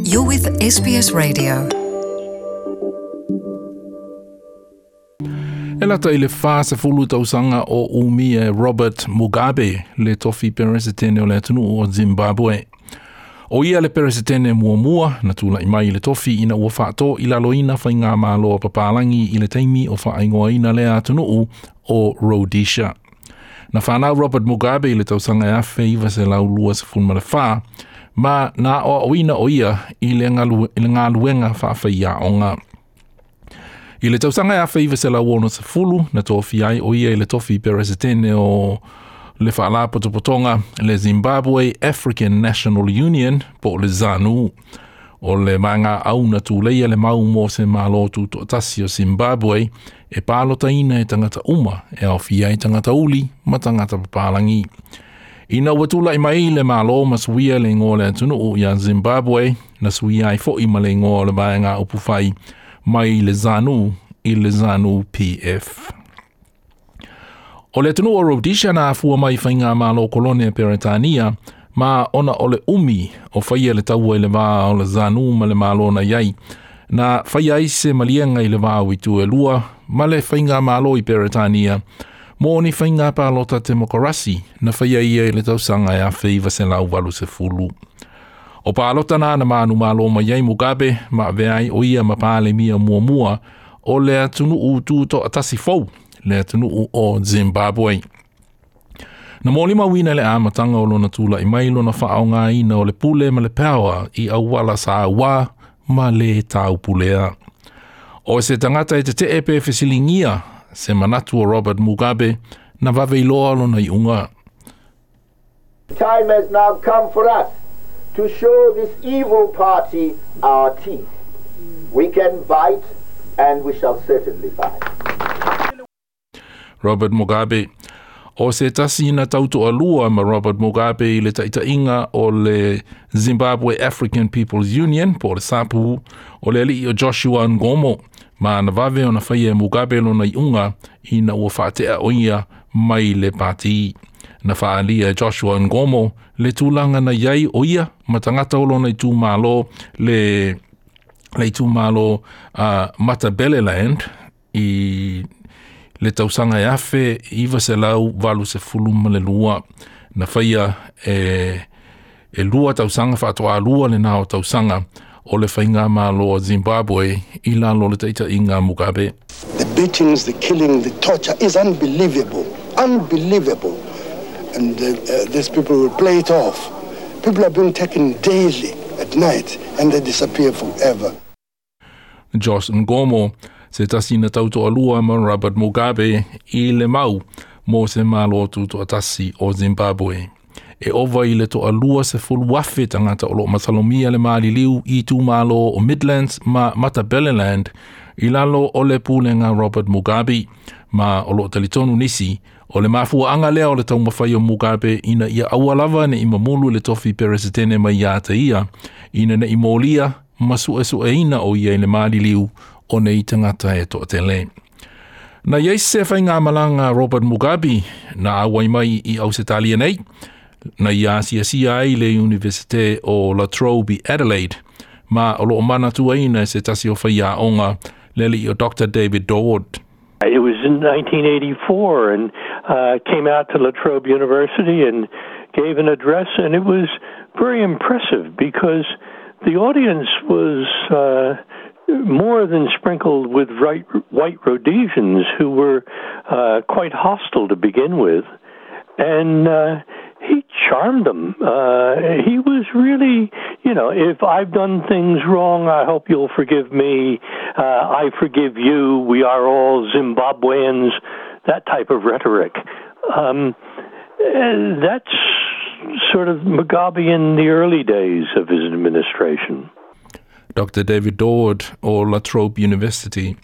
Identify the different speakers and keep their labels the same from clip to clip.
Speaker 1: You're with SBS Radio. E lata i le 40 tausaga o umia e Robert Mugabe le tofi peresetene o le atunuu o Zimbabwe. O ia le peresetene muamua na tula'i mai i le tofi ina ua faatoilaloina faigamalo a papalagi i le taimi o faaigoaina lea atunuu o Rhodesia. Na fanau Robert Mugabe i le tausaga e 1924 ma na aoaoina o ia i le galuega faafaiaoga. I le tausaga e 1960 na tofia ai o ia i le tofi peresetene o le faalapotopotoga le Zimbabwe African National Union po o le ZANU. O le vaegaau na tuleia le mau mo se Malo Tutoatasi o Zimbabwe e palotaina e tagata uma e aofia ai tagata uli ma tagata papalagi. Ina ua tula'i mai le Malo ma suia le igoa o le atunuu ia Zimbabwe, na suia ai fo'i ma le igoa o le vaega upufai mai le ZANU i le ZANU PF. O le atunuu o Rhodesia na afua mai i faigamalo kolone a Peretania, ma ona o le umi o faia le taua i le va o le ZANU ma le Malo na i ai, na faia ai se maliega i le va o itu e lua ma le faigamalo i Peretania mo ni faiga palota temokarasi na faia ia i le tausaga e 1980. O palota na na manumalo mai ai Mugabe ma avea ai o ia ma Palemia muamua o le atunuu tutoatasi fou, le atunuu o Zimbabwe. Na molimauina i le amataga o lona tula'i mai lona faaaogaina o le pule ma le power i auala sauā ma lē taupulea. O se tagata e tete'e pe fesiligia se manatu o Robert Mugabe, na vave iloa lona iuga.
Speaker 2: Time has now come for us to show this evil party our teeth. We can bite and we shall certainly bite.
Speaker 1: Robert Mugabe. O se tasi na tautoalua ma Robert Mugabe i le taitaiga o le Zimbabwe African People's Union po o le SAPU, o le alii o Joshua Nkomo, ma na vave ona faia e Mugabe lona iuga ina ua faatea o ia mai le pati. Na faaalia e Joshua Nkomo le tulaga na i ai o ia ma tagata o lona itumalo le le itumalo Matabeleland i le tausaga e 1982. Na faia e e lua tausaga faatoalua lena o tausaga o le faigamalo a Zimbabwe i lalo o le taitaiga a Mugabe.
Speaker 3: The beatings, the killing, the torture is unbelievable, unbelievable. And these people will play it off. People are being taken daily at night and they disappear forever.
Speaker 1: Josh Nkomo, se tasi na tautoalua ma Robert Mugabe i le mau mo se Malo Tutoatasi o Zimbabwe. E ova i le toalua 10,000 tagata o lo o masalomia le maliliu i itumalo o Midlands ma Matabeleland i lalo o le pulega Robert Mugabe, ma o lo o talitonu nisi o le mafuaaga lea o le taumafai o Mugabe ina ia aua lava ne i mamulu le tofi peresetene mai ia te ia, ina ne i molia ma suesueina o ia i le maliliu o nei tagata e toatele. Na i ai se faigamalaga a Robert Mugabe na auai mai i Ausetalia nei, na ia asiasia ai le Iunivesite o La Trobe i Adelaide, ma o lo o manatuaina e se tasi o faiaoga le alii o Doctor David Dorward.
Speaker 4: It was in 1984 and came out to La Trobe University and gave an address, and it was very impressive because the audience was more than sprinkled with right, white Rhodesians who were quite hostile to begin with. And he charmed them. He was really, you know, if I've done things wrong, I hope you'll forgive me. I forgive you. We are all Zimbabweans. That type of rhetoric. That's sort of Mugabe in the early days of his administration.
Speaker 1: Dr. David Dorward o La Trobe University.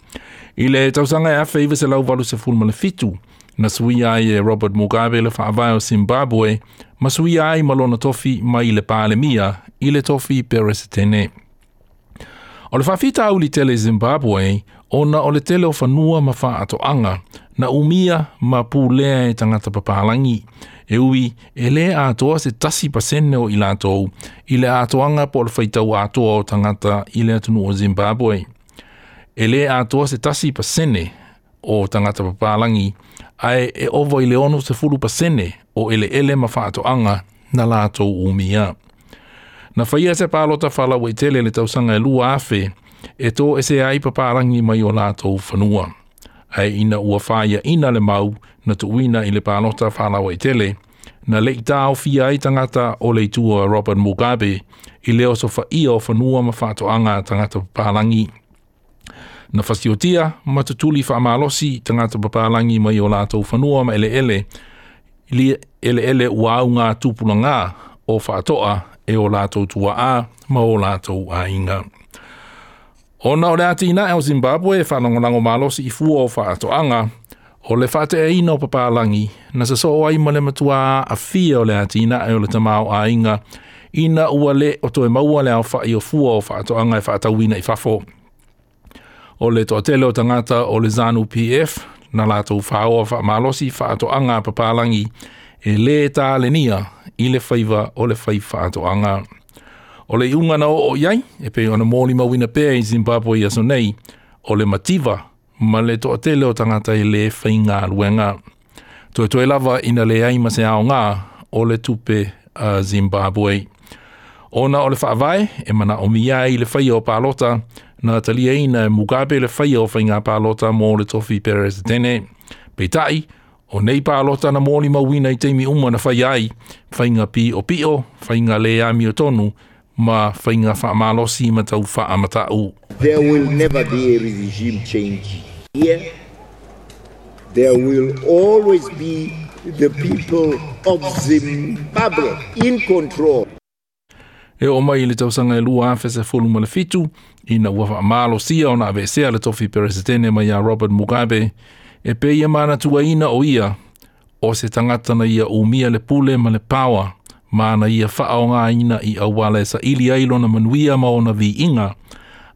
Speaker 1: I le tausaga e 1987, na suia ai e Robert Mugabe le faavae o Zimbabwe ma suia ai ma lona tofi mai le Palemia i le tofi Peresetene. O le faafitauli tele i Zimbabwe ona o le tele o fanua ma faatoaga na umia ma pulea e tagata papalagi. E ui, e lē atoa se 1% o i latou i le atoaga po o le faitau atoa o tagata i le atunuu o Zimbabwe. E lē atoa se 1% o tagata papalagi, ae e ova i le 60% o eleele ma faatoaga na latou umia. Na faia se palota faalauaitele i le tausaga e 2000 e toese ai papalagi mai o latou fanua. Ae ina ua faiaina le mau na tuuina i le palota faalauaitele, na le i taofia ai tagata o le itu a Robert Mugabe i le osofaia o fanua ma faatoaga a tagata papalagi. Na fasiotia ma tutuli faamalosi tagata papalagi mai o latou fanua ma eleele, eleele ua auga tupulaga o faatoa e o latou tuaa ma o latou aiga. Ona o le atinae o Zimbabwe e faalagolago malosi i fua o faatoaga, o le faateaina o papalagi na sasoo ai ma le matua aafia o le atinae o le tamaoaiga ina ua le o toe maua le aofai o fua o faatoaga e faatauina i fafo. O le toatele o tagata o le ZANU PF na latou faoa faamalosi faatoaga a papalagi e lē talenia i le faiva o le fai faatoaga. O le iuga na oo i ai, e pei ona molimauina pea i Zimbabwe i aso nei, o le mativa ma le toatele o tagata e lē faigaluega. Toetoe lava ina leai ma se aoga o le tupe a Zimbabwe. Ona o le faavae e manaomia ai le faia o palota, na taliaina e Mugabe le faia o faiga palota mo le tofi peresetene. Peitai, o nei palota na molimauina i taimi uma na faia ai, faiga piopio, faiga le amiotonu, ma faiga faamalosi ma tau faamatau.
Speaker 2: There will never be a regime change here. There will always be the people of Zimbabwe in control.
Speaker 1: E oo mai i le tausaga e 2017, ina ua faamalosia ona aveesea le tofi peresetene mai ia Robert Mugabe, e pei e manatuaina o ia, o se tagata na ia umia le pule ma le paoa, ma na ia faaogaina i auala e saili ai lona manuia ma ona viiga,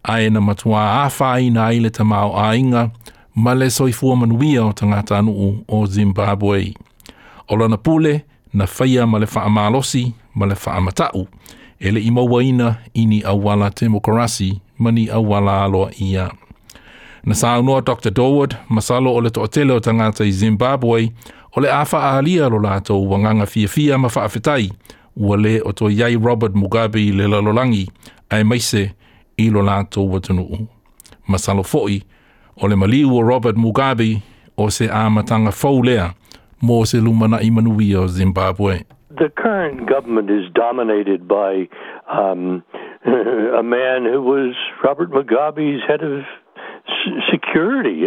Speaker 1: ae na matua afaina ai le tamaoaiga ma le soifua manuia o tagatanuu o Zimbabwe. O lona pule na faia ma le faamalosi ma le faamatau, e le i mauaina i ni auala temokarasi ma ni auala aloaia. Na saunoa Dr. Dorward, masalo o le toatele o tagata i Zimbabwe, o le a faaalia lo latou agaga fiafia ma faafetai, ua lē o toe i ai Robert Mugabe i le lalolagi, aemaise i lo latou atunuu. Masalo foi, o le maliu o Robert Mugabe o se amataga fou lea mo se lumanai manuia o Zimbabwe.
Speaker 4: The current government is dominated by a man who was Robert Mugabe's head of security.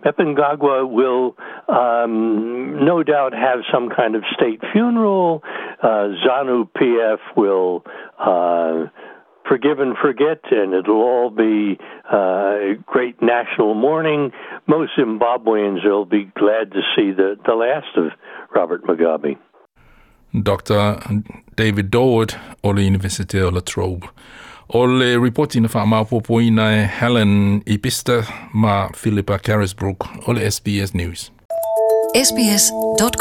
Speaker 4: Mnangagwa will no doubt have some kind of state funeral. ZANU PF will forgive and forget, and it'll all be great national mourning. Most Zimbabweans will be glad to see the last of Robert Mugabe.
Speaker 1: Dr. David Dorward o le Universite o La Trobe. O le ripoti na faamaopoopoina e Helen Ipista ma Philippa Carisbrook o le SBS News.
Speaker 5: sbs.com.au.